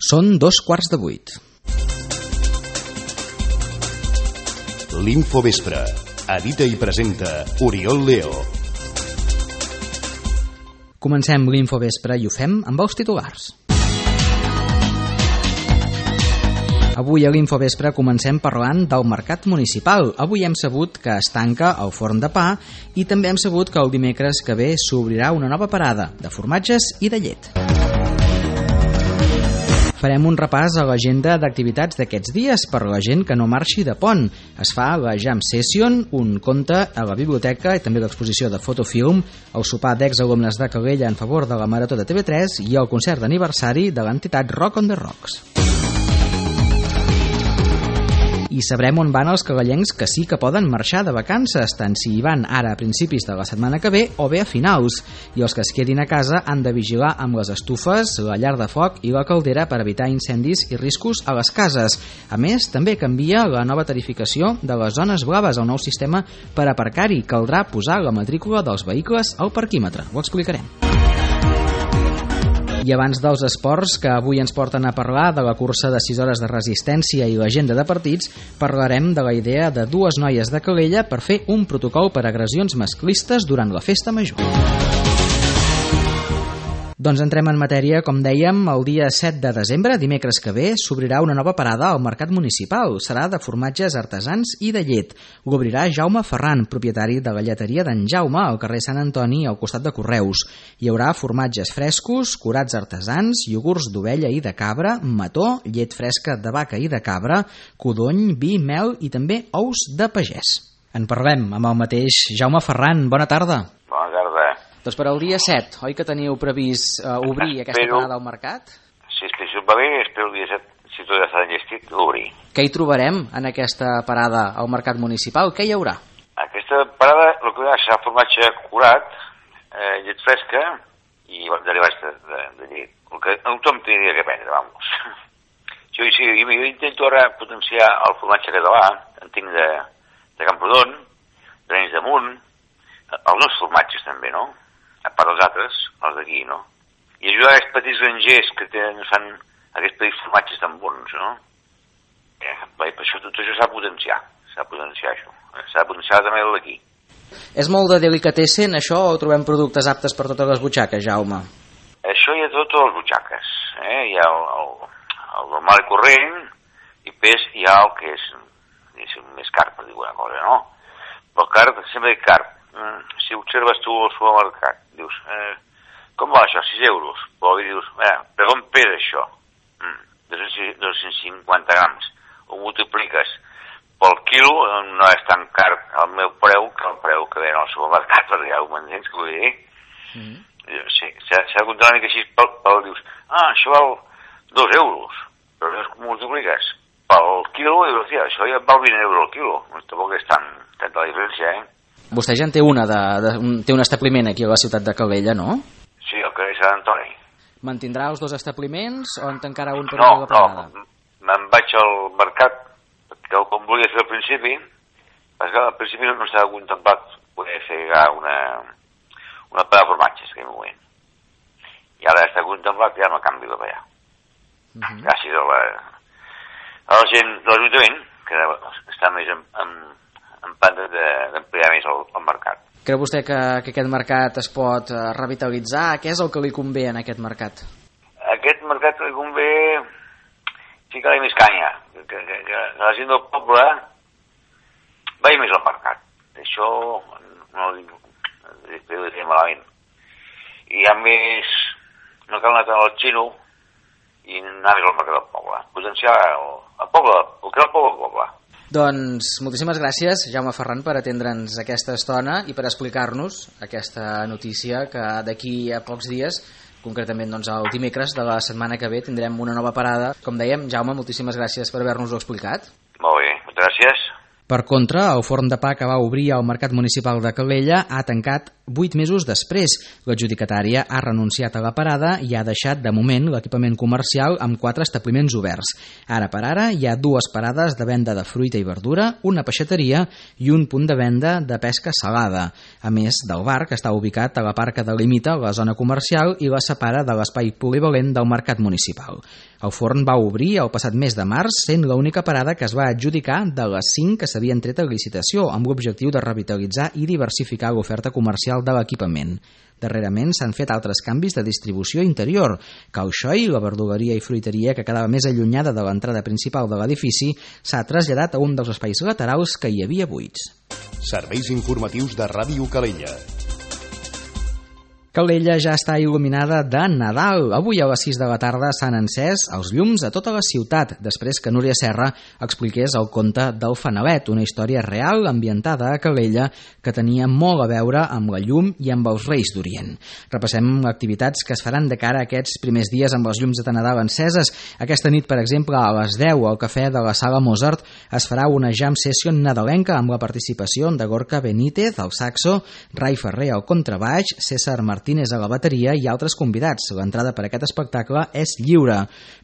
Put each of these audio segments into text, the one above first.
Són 7:15. L'Infovespre. Edita i presenta Oriol Leo. Comencem l'Infovespre i ho fem amb els titulars. Avui a l'Infovespre comencem parlant del mercat municipal. Avui hem sabut que es tanca el forn de pa i també hem sabut que el dimecres que ve s'obrirà una nova parada de formatges i de llet. Farem un repàs a l'agenda d'activitats d'aquests dies per la gent que no marxi de pont. Es fa la Jam Session, un conte a la biblioteca i també l'exposició de fotofilm, el sopar d'exalumnes de Calella en favor de la Marató de TV3 i el concert d'aniversari de l'entitat Rock on the Rocks. I sabrem on van els calellencs que sí que poden marxar de vacances, tant si hi van ara a principis de la setmana que ve o bé a finals. I els que es quedin a casa han de vigilar amb les estufes, la llar de foc i la caldera per evitar incendis i riscos a les cases. A més, també canvia la nova tarificació de les zones blaves, el nou sistema per aparcar-hi. Caldrà posar la matrícula dels vehicles al parquímetre. Ho explicarem. I abans dels esports, que avui ens porten a parlar de la cursa de 6 hores de resistència i l'agenda de partits, parlarem de la idea de dues noies de Calella per fer un protocol per agressions masclistes durant la festa major. Doncs entrem en matèria. Com dèiem, el dia 7 de desembre, dimecres que ve, s'obrirà una nova parada al mercat municipal. Serà de formatges artesans i de llet. L'obrirà Jaume Ferran, propietari de la lleteria d'en Jaume, al carrer Sant Antoni, al costat de Correus. Hi haurà formatges frescos, curats artesans, iogurts d'ovella i de cabra, mató, llet fresca de vaca i de cabra, codony, vi, mel i també ous de pagès. En parlem amb el mateix Jaume Ferran. Bona tarda. Bona tarda. Doncs per al dia 7, oi que teniu previst obrir aquesta parada al mercat? Si això va bé, espero el dia 7, si tot ja està enllestit, obrir. Què hi trobarem en aquesta parada al mercat municipal? Què hi haurà? Aquesta parada, el que hi ha serà formatge curat, llet fresca i derivats de llet. El que tothom tindria que prendre, vamos. Jo intento ara potenciar el formatge català, en tinc de Camprodon, d'Arenys de Munt, els nous formatges també, no? A part dels altres, els d'aquí, no? I ajudar aquests petits grangers que fan aquests petits formatges tan bons, no? Per això tot això s'ha de potenciar. S'ha de potenciar això. S'ha de potenciar també el d'aquí. És molt de delicatessen, això, o trobem productes aptes per totes les butxaques, Jaume? Això hi ha totes les butxaques. Hi ha el normal i corrent, i després hi ha el que és més car, per dir alguna cosa, no? Però car, sempre hi ha car. Si observes tu al supermercat, dius, com va això, 6 euros? Però dius, per on pesa això? 250 grams. Ho multipliques pel quilo, no és tan car el meu preu que el preu que ven al supermercat, perquè ja ho m'entens, que vull dir? Sí, s'ha de comptar una mica així, dius, això val 2 euros, però llavors multipliques pel quilo i dius, això ja val 20 euros al quilo. Tampoc és tanta la diferència, Vostè ja en té té un establiment aquí a la ciutat de Calella, no? Sí, al carrer Sant Antoni. Mantindrà els 2 establiments o en tancarà un per la parada? No, me'n vaig al mercat, que com volia fer al principi, perquè al principi no s'ha contemplat poder fer una parada de formatges, en aquell moment. I ara està contemplat, ja no canvi de allà. Gràcies a la gent de l'Ajuntament, que està més en planta d'ampliar més el mercat. Creu vostè que aquest mercat es pot revitalitzar? Què és el que li convé en aquest mercat? Aquest mercat li convé ficar-li més canya, que la gent del poble vagi més al mercat. Això no ho dic malament. I a més, no cal anar tant al xino i anar més al mercat del poble. Potenciar el poble, el que és el poble. Doncs moltíssimes gràcies, Jaume Ferran, per atendre'ns aquesta estona i per explicar-nos aquesta notícia que d'aquí a pocs dies, concretament doncs, el dimecres de la setmana que ve, tindrem una nova parada. Com dèiem, Jaume, moltíssimes gràcies per haver-nos-ho explicat. Molt bé, moltes gràcies. Per contra, el forn de pa que va obrir al mercat municipal de Calella ha tancat 8 mesos després. L'adjudicatària ha renunciat a la parada i ha deixat de moment l'equipament comercial amb 4 establiments oberts. Ara per ara hi ha 2 parades de venda de fruita i verdura, una peixateria i un punt de venda de pesca salada, a més del bar que està ubicat a la part que delimita la zona comercial i la separa de l'espai polivalent del mercat municipal. El forn va obrir el passat mes de març, sent l'única parada que es va adjudicar de les 5 que s'havien tret a licitació, amb l'objectiu de revitalitzar i diversificar l'oferta comercial de l'equipament. Darrerament s'han fet altres canvis de distribució interior. Cal Xoi, la verduleria i fruiteria que quedava més allunyada de l'entrada principal de l'edifici, s'ha traslladat a un dels espais laterals que hi havia buits. Serveis informatius de Ràdio Calella. Calella ja està il·luminada de Nadal. Avui a les 6 de la tarda s'han encès els llums a tota la ciutat, després que Núria Serra expliqués el conte del Fanalet, una història real ambientada a Calella que tenia molt a veure amb la llum i amb els Reis d'Orient. Repassem activitats que es faran de cara a aquests primers dies amb les llums de Nadal enceses. Aquesta nit, per exemple, a les 10 al cafè de la Sala Mozart es farà una jam session nadalenca amb la participació de Gorka Benítez al saxo, Rai Ferrer al contrabaix, César Martínez a la bateria i altres convidats. L'entrada per aquest espectacle és lliure.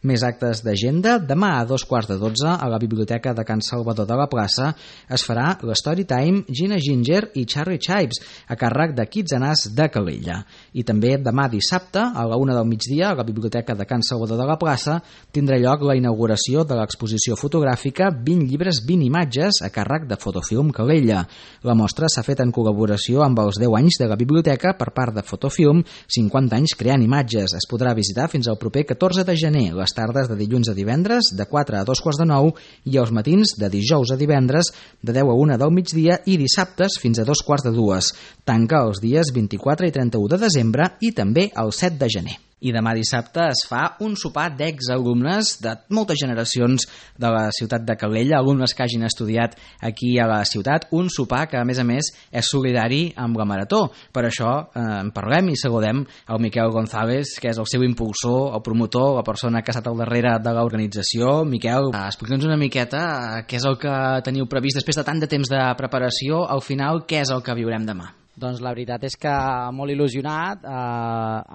Més actes d'agenda. Demà a 12:15 a la Biblioteca de Can Salvador de la Plaça es farà l'Storytime Gina Ginger i Charlie Chives a càrrec de Kids Anàs de Calella. I també demà dissabte a la 1 del migdia a la Biblioteca de Can Salvador de la Plaça tindrà lloc la inauguració de l'exposició fotogràfica 20 llibres, 20 imatges a càrrec de Fotofilm Calella. La mostra s'ha fet en col·laboració amb els 10 anys de la biblioteca per part de Fotofilm, 50 anys creant imatges. Es podrà visitar fins al proper 14 de gener, les tardes de dilluns a divendres de 4 a 2:15 i els matins de dijous a divendres de 10 a 1 del migdia i dissabtes fins a 2:15. Tanca els dies 24 i 31 de desembre i també el 7 de gener. I demà dissabte es fa un sopar d'exalumnes de moltes generacions de la ciutat de Calella, alumnes que hagin estudiat aquí a la ciutat, un sopar que a més és solidari amb la Marató. Per això en parlem i saludem el Miquel González, que és el seu impulsor, el promotor, la persona que ha estat al darrere de l'organització. Miquel, explica'ns una miqueta què és el que teniu previst després de tant de temps de preparació. Al final, què és el que viurem demà? Doncs la veritat és que molt il·lusionat,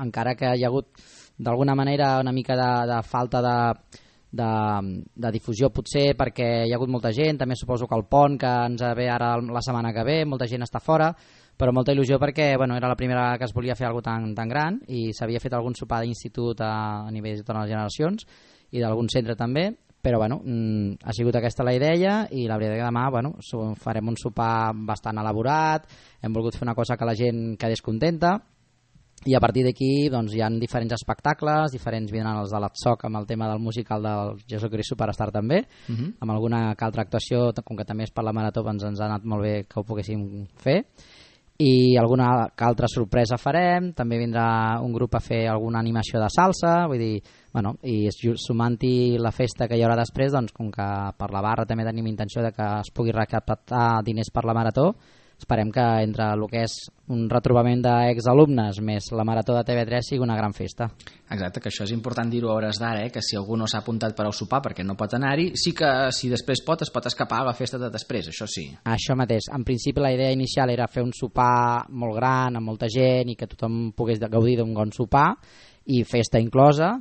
encara que hi ha hagut d'alguna manera una mica de falta de difusió potser perquè hi ha hagut molta gent, també suposo que el pont que ens ve ara la setmana que ve, molta gent està fora, però molta il·lusió perquè era la primera vegada que es volia fer alguna cosa tan gran i s'havia fet algun sopar d'institut a nivell de totes les generacions i d'algun centre també, però ha sigut aquesta la idea i la veritat que demà farem un sopar bastant elaborat, hem volgut fer una cosa que la gent quedés contenta i a partir d'aquí hi ha diferents espectacles, vindran els de l'Atsoc amb el tema del musical del Jesucrist Superstar també, amb alguna altra actuació, com que també és per la Marató ens ha anat molt bé que ho poguéssim fer, i alguna altra sorpresa farem, també vindrà un grup a fer alguna animació de salsa, vull dir, i sumant-hi la festa que hi haurà després, com que per la barra també tenim intenció de que es pugui recaptar diners per la Marató, esperem que entre el que és un retrobament d'exalumnes més la Marató de TV3 sigui una gran festa. Exacte, que això és important dir-ho a hores d'ara, que si algú no s'ha apuntat per al sopar perquè no pot anar-hi, sí que si després es pot escapar a la festa de després, això sí. Això mateix, en principi la idea inicial era fer un sopar molt gran, amb molta gent i que tothom pogués gaudir d'un bon sopar i festa inclosa,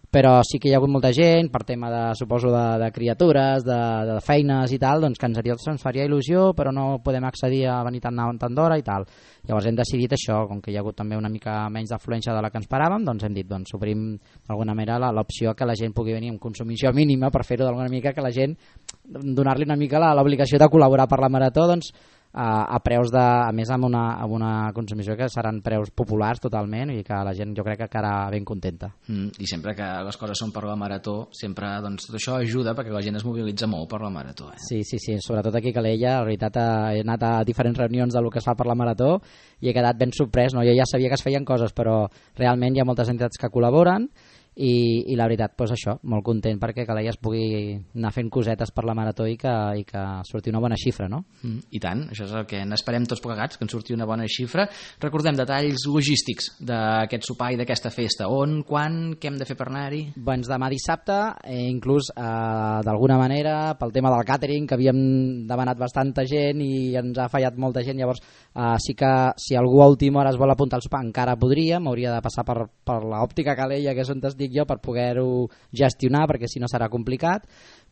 però sí que hi ha hagut molta gent per tema de criatures, de feines i tal, que ens faria il·lusió però no podem accedir a venir tan d'hora i tal. Llavors hem decidit això, com que hi ha hagut també una mica menys d'afluència de la que ens paràvem, hem dit, obrim d'alguna manera l'opció que la gent pugui venir amb consumició mínima per fer-ho d'alguna mica que la gent, donar-li una mica l'obligació de col·laborar per la Marató, a preus a més amb una consumició que seran preus populars totalment i que la gent jo crec que quedarà ben contenta. I sempre que les coses són per la Marató sempre tot això ajuda perquè la gent es mobilitza molt per la Marató. Sí, sobretot aquí a Calella, la veritat he anat a diferents reunions del que es fa per la Marató i he quedat ben sorprès, jo ja sabia que es feien coses però realment hi ha moltes entitats que col·laboren i la veritat, doncs això, molt content perquè Calella es pugui anar fent cosetes per la marató i que surti una bona xifra, no? I tant, això és el que n'esperem tots plegats, que en surti una bona xifra. Recordem detalls logístics d'aquest sopar i d'aquesta festa. On, quan, què hem de fer per anar-hi? Doncs demà dissabte, inclús d'alguna manera, pel tema del càtering, que havíem demanat bastanta gent i ens ha fallat molta gent, llavors sí que si algú a última hora es vol apuntar al sopar encara podria, m'hauria de passar per l'òptica Calella, que és on estic jo, per poder-ho gestionar, perquè si no serà complicat,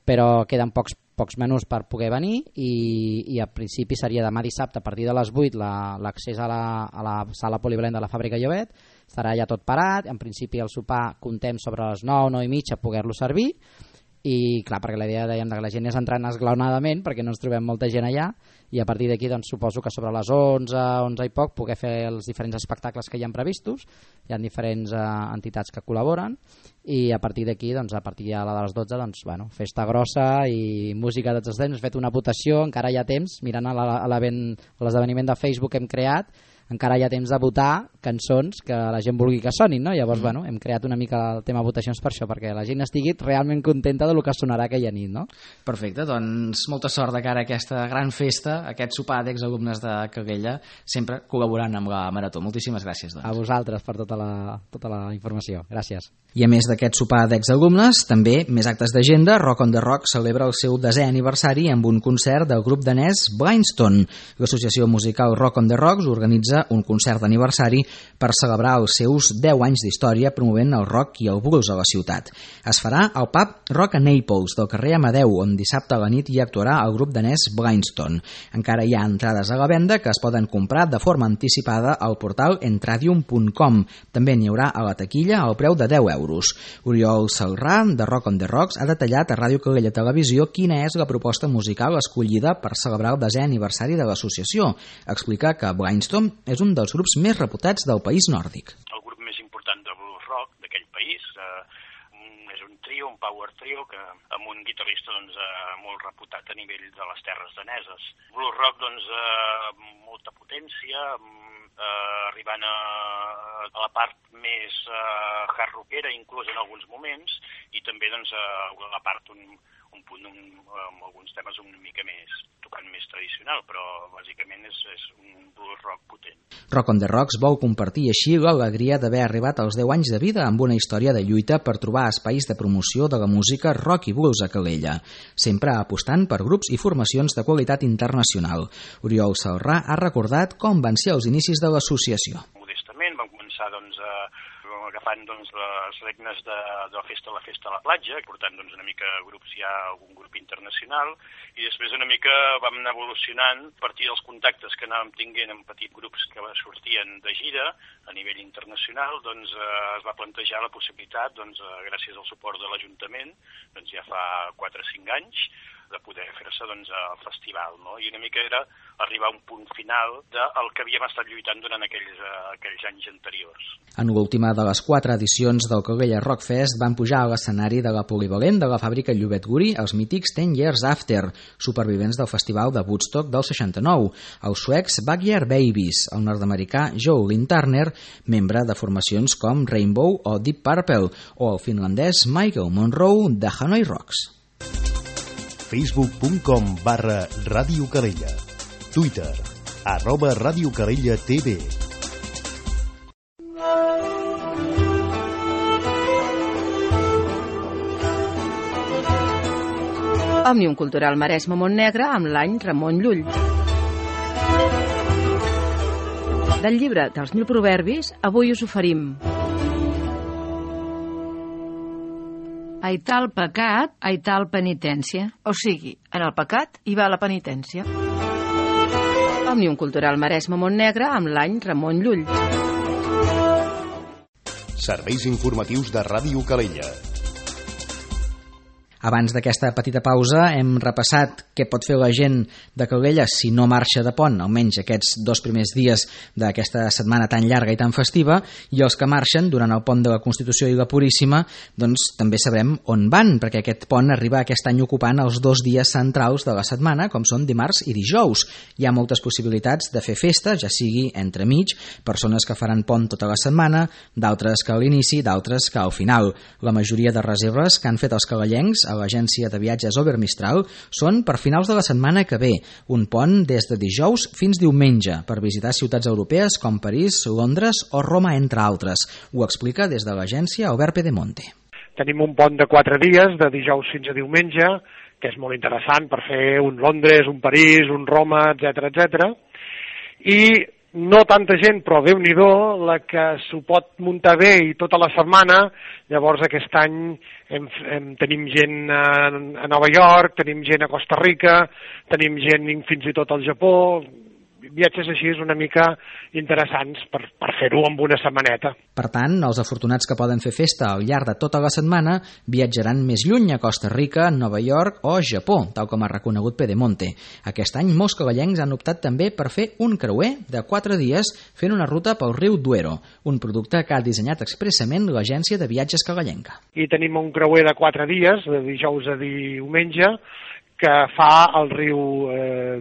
però queden pocs menús per poder venir i a principi seria demà dissabte a partir de les 8 l'accés a la sala polivalent de la Fàbrica Llobet, estarà ja tot parat, en principi el sopar contem sobre les 9, 9 i mitja poder-lo servir i clar, perquè la idea dèiem que la gent és entrant esglaonadament perquè no ens trobem molta gent allà i a partir d'aquí doncs, suposo que sobre les 11 i poc poder fer els diferents espectacles que hi ha previstos, hi ha diferents entitats que col·laboren i a partir d'aquí, doncs, a partir de les 12 doncs, bueno, festa grossa i música de tots els temps, hem fet una votació, encara hi ha temps, mirant a l'esdeveniment de Facebook que hem creat, encara hi ha temps de votar cançons que la gent vulgui que sonin, no? Llavors, bueno, hem creat una mica el tema votacions per això, perquè la gent estigui realment contenta del que sonarà aquella nit, no? Perfecte, doncs molta sort de cara a aquesta gran festa, aquest sopar d'exalumnes de Calella, sempre col·laborant amb la Marató. Moltíssimes gràcies, doncs. A vosaltres per tota la informació. Gràcies. I a més d'aquest sopar d'exalumnes, també més actes d'agenda, Rock on the Rock celebra el seu 10è aniversari amb un concert del grup danès Blindstone. L'associació musical Rock on the Rocks organitza un concert d'aniversari per celebrar els seus 10 anys d'història promovent el rock i el blues a la ciutat. Es farà al pub Rock a Naples del carrer Amadeu, on dissabte a la nit hi actuarà el grup danès Blindstone. Encara hi ha entrades a la venda que es poden comprar de forma anticipada al portal entradium.com. També n'hi haurà a la taquilla al preu de 10 euros. Oriol Salrà, de Rock on the Rocks, ha detallat a Ràdio Calella Televisió quina és la proposta musical escollida per celebrar el 10è aniversari de l'associació. Explica que Blindstone és un dels grups més reputats del país nòrdic. El grup més important de blues rock d'aquell país és un trio, un power trio, que amb un guitarrista molt reputat a nivell de les terres daneses. Blues rock, molta potència, arribant a la part més hard rockera, inclús en alguns moments, i també a la part un punt amb alguns temes una mica més tocant més tradicional, però bàsicament és un blues rock potent. Rock on the Rocks vol compartir així l'alegria d'haver arribat als 10 anys de vida amb una història de lluita per trobar espais de promoció de la música rock i blues a Calella, sempre apostant per grups i formacions de qualitat internacional. Oriol Salrà ha recordat com van ser els inicis de l'associació. Modestament vam començar agafant les regnes de la festa a la platja, portant una mica grups ja algun grup internacional, i després una mica vam anar evolucionant a partir dels contactes que anàvem tinguent amb petits grups que sortien de gira a nivell internacional, es va plantejar la possibilitat, gràcies al suport de l'Ajuntament, ja fa 4 o 5 anys, de poder fer-se al festival, no? I una mica era arribar a un punt final del que havíem estat lluitant durant aquells anys anteriors. En l'última de les 4 edicions del Calella Rock Fest van pujar a l'escenari de la polivalent de la fàbrica Llobet Guri els mítics 10 Years After, supervivents del festival de Woodstock del 69, els suecs Backyard Babies, el nord-americà Joe Lynn Turner, membre de formacions com Rainbow o Deep Purple, o el finlandès Michael Monroe de Hanoi Rocks. facebook.com/Ràdio Calella, Twitter @Ràdio Calella TV. Òmnium Cultural Maresme Montnegre amb l'any Ramon Llull. Del llibre dels 1000 proverbis, avui us oferim Ai tal pecat, ai tal penitència. O sigui, en el pecat hi va la penitència. Òmnium Cultural Maresme Montnegre amb l'any Ramon Llull. Serveis informatius de Ràdio Calella. Abans d'aquesta petita pausa hem repassat què pot fer la gent de Calella si no marxa de pont, almenys aquests 2 primers dies d'aquesta setmana tan llarga i tan festiva, i els que marxen durant el pont de la Constitució i la Puríssima, doncs també sabrem on van, perquè aquest pont arriba aquest any ocupant els 2 dies centrals de la setmana, com són dimarts i dijous. Hi ha moltes possibilitats de fer festa, ja sigui entremig, persones que faran pont tota la setmana, d'altres que a l'inici, d'altres que al final. La majoria de reserves que han fet els calellencs a l'agència de viatges Overmistral són per finals de la setmana que ve, un pont des de dijous fins diumenge per visitar ciutats europees com París, Londres o Roma, entre altres. Ho explica des de l'agència Albert Pedemonte. Tenim un pont de 4 dies, de dijous fins a diumenge, que és molt interessant per fer un Londres, un París, un Roma, etc. I no tanta gent, però Déu-n'hi-do, la que s'ho pot muntar bé i tota la setmana. Llavors aquest any tenim gent a Nova York, tenim gent a Costa Rica, tenim gent fins i tot al Japó, viatges així una mica interessants per fer-ho en una setmaneta. Per tant, els afortunats que poden fer festa al llarg de tota la setmana viatjaran més lluny a Costa Rica, Nova York o Japó, tal com ha reconegut Pedemonte. Aquest any molts calellencs han optat també per fer un creuer de 4 dies fent una ruta pel riu Duero, un producte que ha dissenyat expressament l'agència de viatges calellenca. I tenim un creuer de 4 dies, de dijous a diumenge, que fa el riu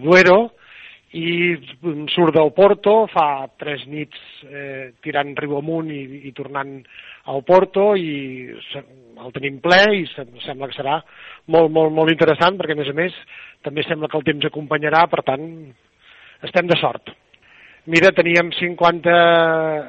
Duero, i surt del Porto, fa 3 nits tirant riu amunt i tornant al Porto, i el tenim ple i sembla que serà molt interessant, perquè a més també sembla que el temps acompanyarà, per tant estem de sort. Mira, teníem 50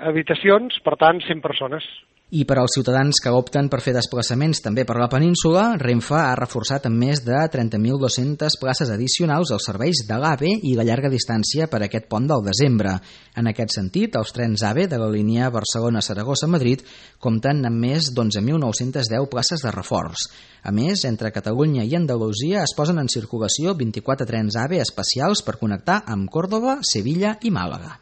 habitacions, per tant 100 persones. I per als ciutadans que opten per fer desplaçaments també per la península, Renfe ha reforçat amb més de 30.200 places addicionals als serveis de l'AVE i la llarga distància per aquest pont del desembre. En aquest sentit, els trens AVE de la línia Barcelona-Saragossa-Madrid compten amb més d'11.910 places de reforç. A més, entre Catalunya i Andalusia es posen en circulació 24 trens AVE especials per connectar amb Còrdova, Sevilla i Màlaga.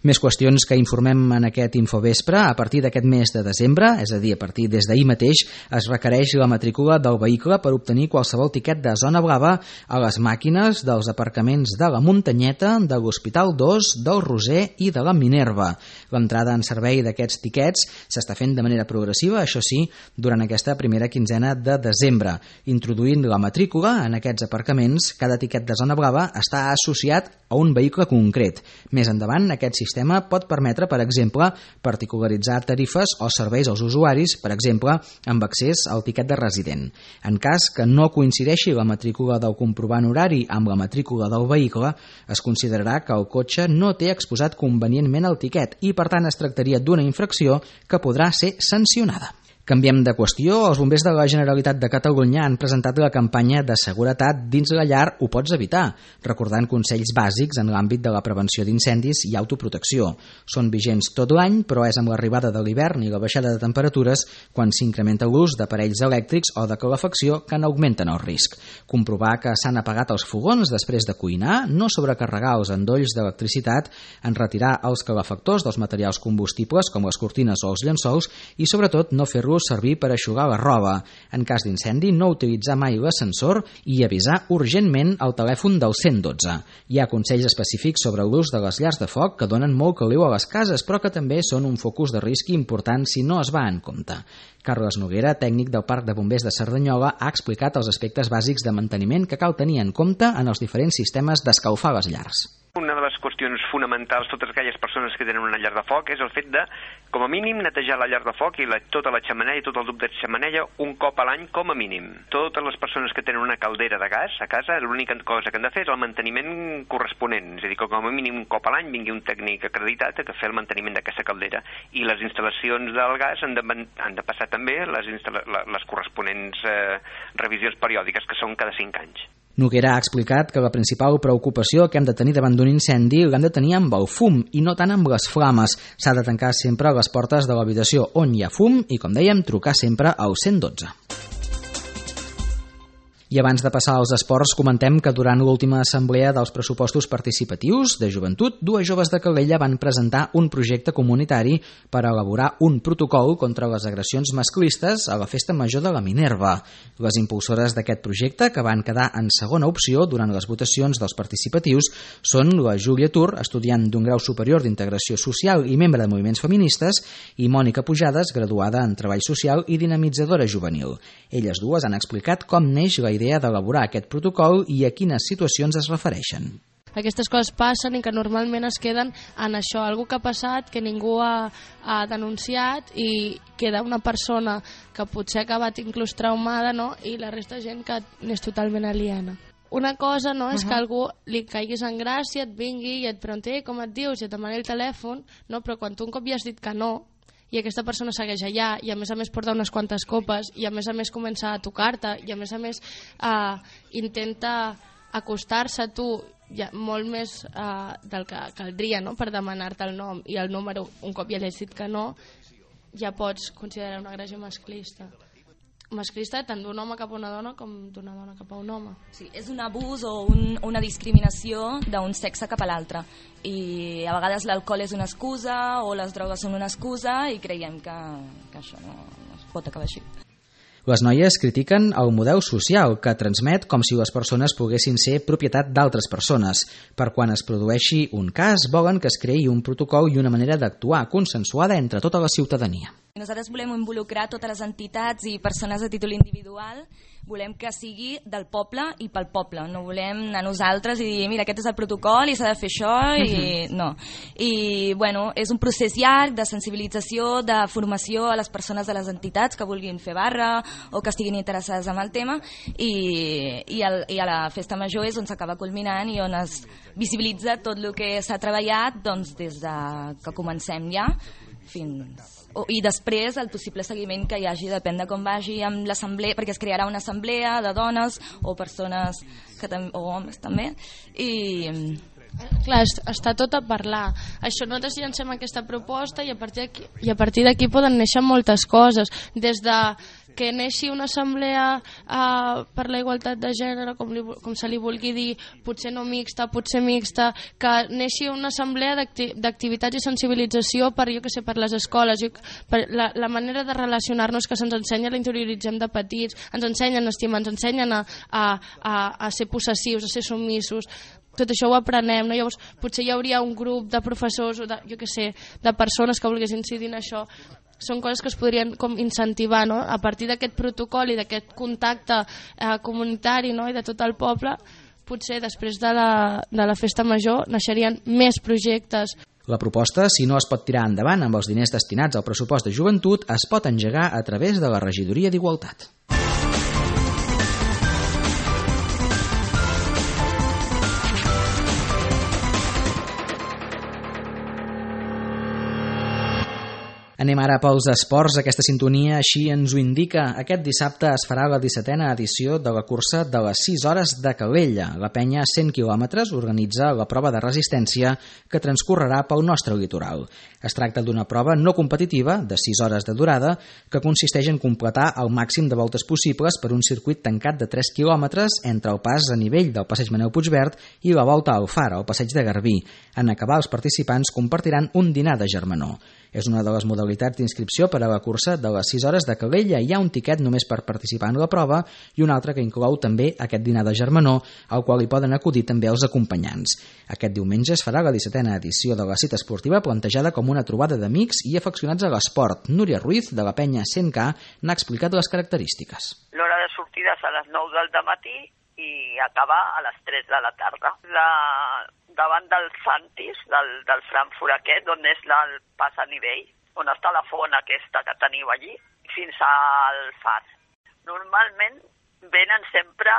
Més qüestions que informem en aquest Infovespre. A partir d'aquest mes de desembre, és a dir, a partir des d'ahir mateix, es requereix la matrícula del vehicle per obtenir qualsevol tiquet de zona blava a les màquines dels aparcaments de la Muntanyeta, de l'Hospital 2, del Roser i de la Minerva. L'entrada en servei d'aquests tiquets s'està fent de manera progressiva, això sí, durant aquesta primera quinzena de desembre. Introduint la matrícula en aquests aparcaments, cada tiquet de zona blava està associat a un vehicle concret. Més endavant, aquest sistema pot permetre, per exemple, particularitzar tarifes o serveis als usuaris, per exemple, amb accés al tiquet de resident. En cas que no coincideixi la matrícula del comprovant horari amb la matrícula del vehicle, es considerarà que el cotxe no té exposat convenientment el tiquet i, per tant, es tractaria d'una infracció que podrà ser sancionada. Canviem de qüestió. Els bombers de la Generalitat de Catalunya han presentat la campanya de seguretat dins la llar Ho pots evitar, recordant consells bàsics en l'àmbit de la prevenció d'incendis i autoprotecció. Són vigents tot l'any, però és amb l'arribada de l'hivern i la baixada de temperatures quan s'incrementa l'ús d'aparells elèctrics o de calefacció que n'augmenten el risc. Comprovar que s'han apagat els fogons després de cuinar, no sobrecarregar els endolls d'electricitat, en retirar els calefactors dels materials combustibles com les cortines o els llençols i, sobretot, no fer-los servir per eixugar la roba. En cas d'incendi, no utilitzar mai l'ascensor i avisar urgentment al telèfon del 112. Hi ha consells específics sobre l'ús de les llars de foc que donen molt caliu a les cases, però que també són un focus de risc important si no es va en compte. Carles Noguera, tècnic del Parc de Bombers de Cerdanyola, ha explicat els aspectes bàsics de manteniment que cal tenir en compte en els diferents sistemes d'escalfar les llars. Una de les qüestions fonamentals, totes aquelles persones que tenen una llar de foc, és el fet de, com a mínim, netejar la llar de foc i tota la xemeneia i tot el tub de xemeneia un cop a l'any, com a mínim. Totes les persones que tenen una caldera de gas a casa, l'única cosa que han de fer és el manteniment corresponent, és a dir, que com a mínim un cop a l'any vingui un tècnic acreditat a fer el manteniment d'aquesta caldera. I les instal·lacions del gas han de passar també les corresponents revisions periòdiques, que són cada 5 anys. Noguera ha explicat que la principal preocupació que hem de tenir davant d'un incendi l'hem de tenir amb el fum i no tant amb les flames. S'ha de tancar sempre les portes de l'habitació on hi ha fum i, com dèiem, trucar sempre al 112. I abans de passar als esports, comentem que durant l'última assemblea dels pressupostos participatius de joventut, dues joves de Calella van presentar un projecte comunitari per elaborar un protocol contra les agressions masclistes a la Festa Major de la Minerva. Les impulsores d'aquest projecte, que van quedar en segona opció durant les votacions dels participatius, són la Júlia Tur, estudiant d'un grau superior d'integració social i membre de moviments feministes, i Mònica Pujades, graduada en treball social i dinamitzadora juvenil. Elles dues han explicat com neix la idea d'elaborar aquest protocol i a quines situacions es refereixen. Aquestes coses passen i que normalment es queden en això, algú que ha passat, que ningú ha denunciat i queda una persona que potser ha acabat inclús traumada, no? I la resta de gent que n'és totalment aliena. Una cosa no és que algú li caiguis en gràcia, et vingui i et pregunti com et dius i et demani el telèfon, no? Però quan tu un cop ja has dit que no, i aquesta persona segueix allà i a més porta unes quantes copes i a més comença a tocar-te i a més intenta acostar-se a tu molt més del que caldria, no? Per demanar-te el nom i el número, un cop ja li has dit que no, ja pots considerar una agressió masclista tant d'un home cap a una dona com d'una dona cap a un home. Sí, és un abús o una discriminació d'un sexe cap a l'altre i a vegades l'alcohol és una excusa o les drogues són una excusa i creiem que això no es pot acabar així. Les noies critiquen el model social que transmet com si les persones poguessin ser propietat d'altres persones. Per quan es produeixi un cas, volen que es creï un protocol i una manera d'actuar consensuada entre tota la ciutadania. Nosaltres volem involucrar totes les entitats i persones a títol individual, volem que sigui del poble i pel poble, no volem anar nosaltres i dir mira, aquest és el protocol i s'ha de fer això i no. I bueno, és un procés llarg de sensibilització, de formació a les persones de les entitats que vulguin fer barra o que estiguin interessades en el tema i a la Festa Major és on s'acaba culminant i on es visibilitza tot el que s'ha treballat doncs, des de que comencem ja i després el possible seguiment que hi hagi, depèn de com vagi amb l'assemblea, perquè es crearà una assemblea de dones o persones o homes també i... Clar, està tot a parlar. Això, nosaltres llancem aquesta proposta i a partir d'aquí poden néixer moltes coses, des de que neixi una assemblea per la igualtat de gènere, com se li vulgui dir, potser no mixta, potser mixta, que neixi una assemblea d'activitats i sensibilització per les escoles, per la manera de relacionar-nos que se'ns ensenya, la interioritzem de petits, ens ensenyen a estimar, ens ensenyen a ser possessius, a ser submissos. Tot això ho aprenem, no? Llavors potser hi hauria un grup de professors o de persones que volguessin incidir en això. Són coses que es podrien com incentivar, no? A partir d'aquest protocol i d'aquest contacte comunitari, no? I de tot el poble, potser després de la Festa Major naixerien més projectes. La proposta, si no es pot tirar endavant amb els diners destinats al pressupost de joventut, es pot engegar a través de la Regidoria d'Igualtat. Anem ara pels esports. Aquesta sintonia així ens ho indica. Aquest dissabte es farà la 17a edició de la cursa de les 6 hores de Calella. La penya 100 quilòmetres organitza la prova de resistència que transcorrerà pel nostre litoral. Es tracta d'una prova no competitiva de 6 hores de durada que consisteix en completar el màxim de voltes possibles per un circuit tancat de 3 quilòmetres entre el pas a nivell del passeig Manel Puigverd i la volta al Far, al passeig de Garbí. En acabar, els participants compartiran un dinar de germanor. És una de les modalitats d'inscripció per a la cursa de les 6 hores de Calella. Hi ha un tiquet només per participar en la prova i un altre que inclou també aquest dinar de germanor, al qual hi poden acudir també els acompanyants. Aquest diumenge es farà la 17a edició de la cita esportiva plantejada com una trobada d'amics i afeccionats a l'esport. Núria Ruiz, de la penya 100K, n'ha explicat les característiques. L'hora de sortida és a les 9 del dematí i acabar a les 3 de la tarda. Davant del Santis, del Frankfurt aquest, on és el pas a nivell, on està la font aquesta que teniu allí, fins al Far. Normalment venen sempre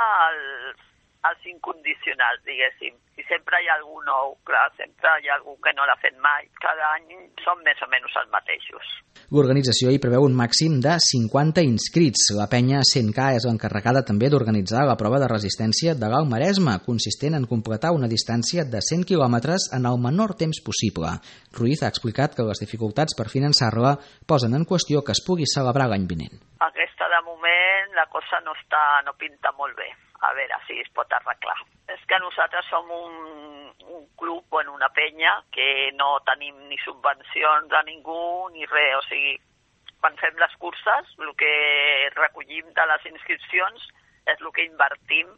els incondicionals, diguéssim, i sempre hi ha algú nou, clar, sempre hi ha algú que no l'ha fet mai. Cada any són més o menys els mateixos. L'organització hi preveu un màxim de 50 inscrits. La penya 100K és l'encarregada també d'organitzar la prova de resistència de l'Alt Maresme, consistent en completar una distància de 100 quilòmetres en el menor temps possible. Ruiz ha explicat que les dificultats per finançar-la posen en qüestió que es pugui celebrar l'any vinent. Aquesta, de moment, la cosa no pinta molt bé. a veure si es pot arreglar. És que nosaltres som un club, una penya, que no tenim ni subvencions de ningú ni res, o sigui, quan fem les curses, el que recollim de les inscripcions és el que invertim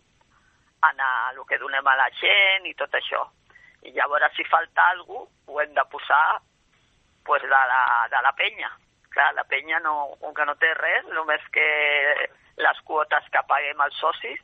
en el que donem a la gent i tot això. I llavors, si falta alguna cosa, ho hem de posar de la penya. Clar, la penya, com que no té res, només que les quotes que paguem els socis,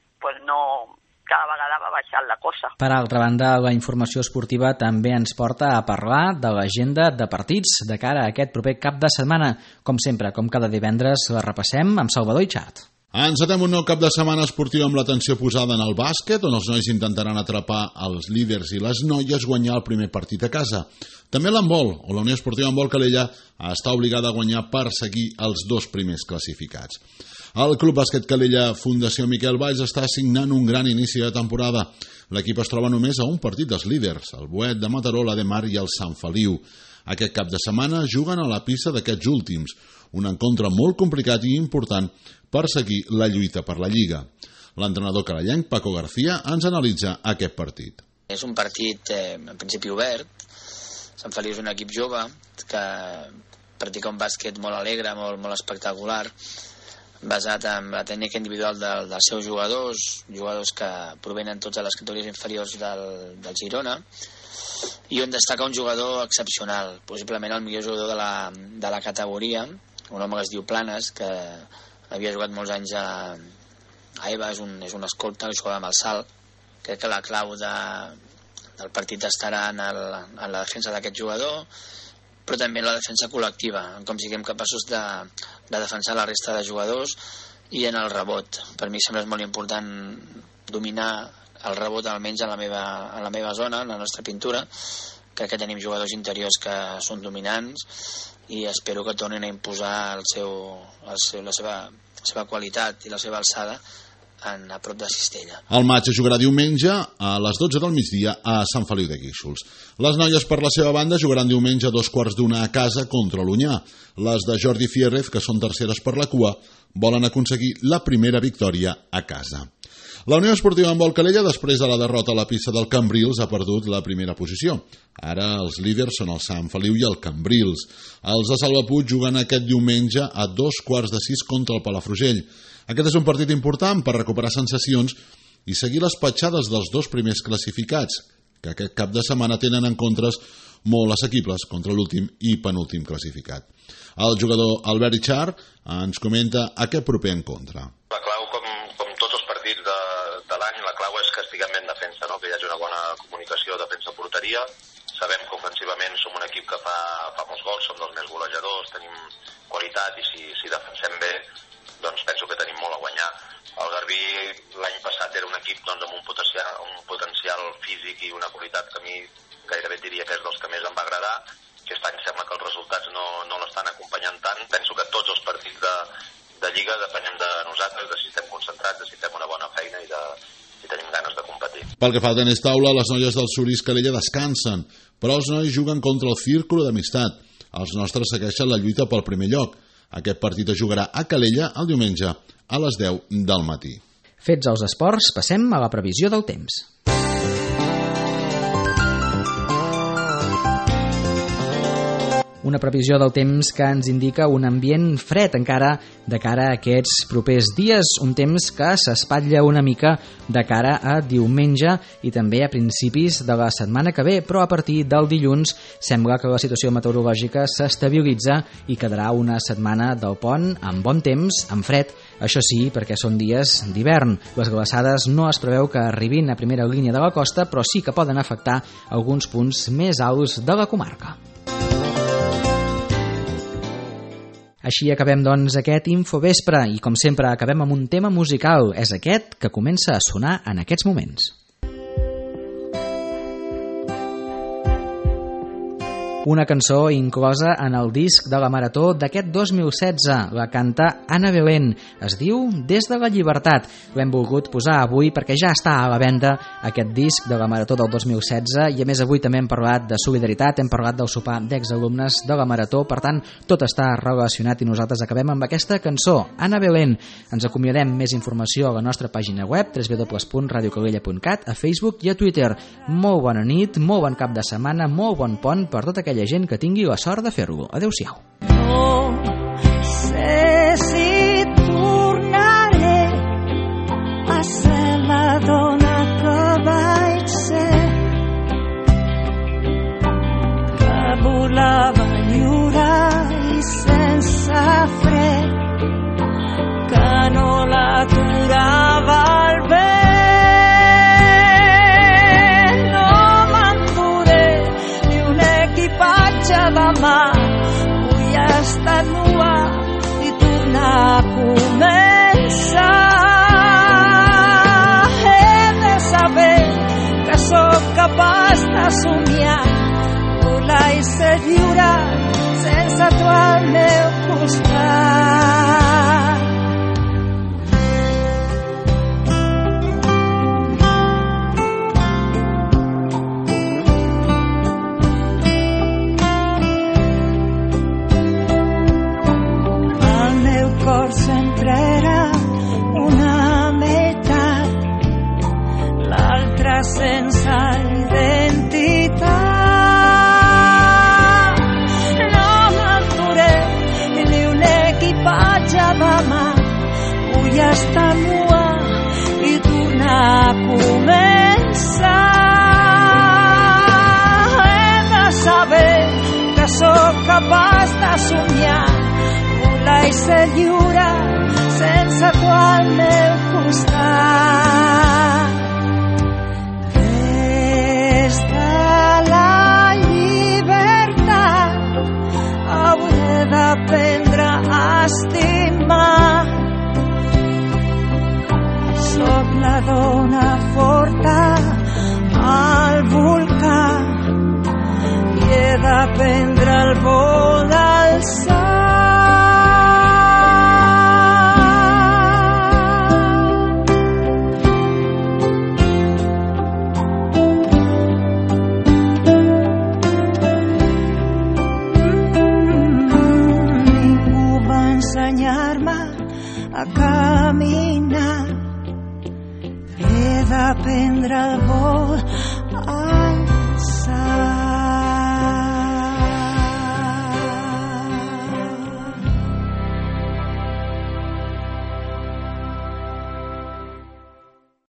cada vegada va baixant la cosa. Per altra banda, la informació esportiva també ens porta a parlar de l'agenda de partits de cara a aquest proper cap de setmana. Com sempre, com cada divendres, la repassem amb Salvador Itxart. Encetem un nou cap de setmana esportiu amb l'atenció posada en el bàsquet, on els nois intentaran atrapar els líders i les noies guanyar el primer partit a casa. També l'handbol, on la Unió Esportiva Handbol Calella està obligada a guanyar per seguir els 2 primers classificats. El Club Bàsquet Calella Fundació Miquel Valls està signant un gran inici de temporada. L'equip es troba només a un partit dels líders, el Boet de Mataró, l'Ademar i el Sant Feliu. Aquest cap de setmana juguen a la pista d'aquests últims, un encontre molt complicat i important per seguir la lluita per la Lliga. L'entrenador carallenc, Paco García, ens analitza aquest partit. És un partit en principi obert. Sant Feliu és un equip jove que practica un bàsquet molt alegre, molt espectacular, basat en la tècnica individual dels seus jugadors que provenen tots de les categories inferiors del Girona, i on destaca un jugador excepcional, possiblement el millor jugador de la categoria, un home que es diu Planes, que havia jugat molts anys a EVA, és un escolta que jugava amb el salt. Crec que la clau del partit estarà en la defensa d'aquest jugador, però també en la defensa col·lectiva, com siguem capaços de defensar la resta de jugadors, i en el rebot. Per mi sembla molt important dominar el rebot almenys en la meva zona, en la nostra pintura. Crec que tenim jugadors interiors que són dominants i espero que tornin a imposar la seva qualitat i la seva alçada a prop de Cistella. El matx es jugarà diumenge a les 12 del migdia a Sant Feliu de Guíxols. Les noies, per la seva banda, jugaran diumenge a 2:15 a casa contra l'Onyà. Les de Jordi Fierrez, que són terceres per la cua, volen aconseguir la primera victòria a casa. La Unió Esportiva Handbol Calella, després de la derrota a la pista del Cambrils, ha perdut la primera posició. Ara els líders són el Sant Feliu i el Cambrils. Els de Salvapuig juguen aquest diumenge a 5:15 contra el Palafrugell. Aquest és un partit important per recuperar sensacions i seguir les petjades dels 2 primers classificats, que aquest cap de setmana tenen encontres molt assequibles contra l'últim i penúltim classificat. El jugador Albert Itxart ens comenta aquest proper encontre. La clau, com tots els partits de l'any, la clau és que estiguem ben defensa, no? Que hi hagi una bona comunicació defensa-porteria. Sabem que ofensivament som un equip que fa molts gols, som dels més golejadors, tenim qualitat i si defensem bé, doncs penso que tenim molt a guanyar. El Garbí l'any passat era un equip amb un potencial físic i una qualitat que a mi gairebé diria que és dels que més em va agradar. Aquest any sembla que els resultats no l'estan acompanyant tant. Penso que tots els partits de Lliga depenem de nosaltres, de si estem concentrats, de si fem una bona feina i tenim ganes de competir. Pel que fa al tenis taula, les noies del Surís Calella descansen, però els nois juguen contra el Círculo d'Amistat. Els nostres segueixen la lluita pel primer lloc. Aquest partit es jugarà a Calella el diumenge a les 10 del matí. Fets els esports, passem a la previsió del temps. Una previsió del temps que ens indica un ambient fred encara de cara a aquests propers dies, un temps que s'espatlla una mica de cara a diumenge i també a principis de la setmana que ve, però a partir del dilluns sembla que la situació meteorològica s'estabilitza i quedarà una setmana del pont amb bon temps, amb fred, això sí, perquè són dies d'hivern. Les glaçades no es preveu que arribin a primera línia de la costa, però sí que poden afectar alguns punts més alts de la comarca. Així acabem, doncs, aquest Infovespre i, com sempre, acabem amb un tema musical. És aquest que comença a sonar en aquests moments. Una cançó inclosa en el disc de la Marató d'aquest 2016. La canta Ana Belén. Es diu Des de la llibertat. L'hem volgut posar avui perquè ja està a la venda aquest disc de la Marató del 2016 i a més avui també hem parlat de solidaritat, hem parlat del sopar d'exalumnes de la Marató, per tant tot està relacionat i nosaltres acabem amb aquesta cançó, Ana Belén. Ens acomiadem, més informació a la nostra pàgina web www.radiocalella.cat, a Facebook i a Twitter. Molt bona nit, molt bon cap de setmana, molt bon pont per tota aquella gent que tingui la sort de fer-lo. Adéu-siau. No sé si tornaré a ser la dona que vaig ser, que volava lliure i sense fre, que no l'aturava el vent. No m'enduré ni un equipatge de mà, vull estar nua i tornar a començar. He de saber que sóc capaç de somiar, volar i ser lliure sense tu al meu costat. El meu cor sempre era una meitat, l'altra sense identitat. No m'enduré ni un equipatge de mà, vull estar nua i tornar a començar. He de saber que sóc capaç de somiar, volar i ser lliure sense tu al meu costat. Des de la llibertat hauré d'aprendre a estimar. Soc la dona forta al volcà i he d'aprendre el vol d'alçar. A caminar, he d'aprendre el vol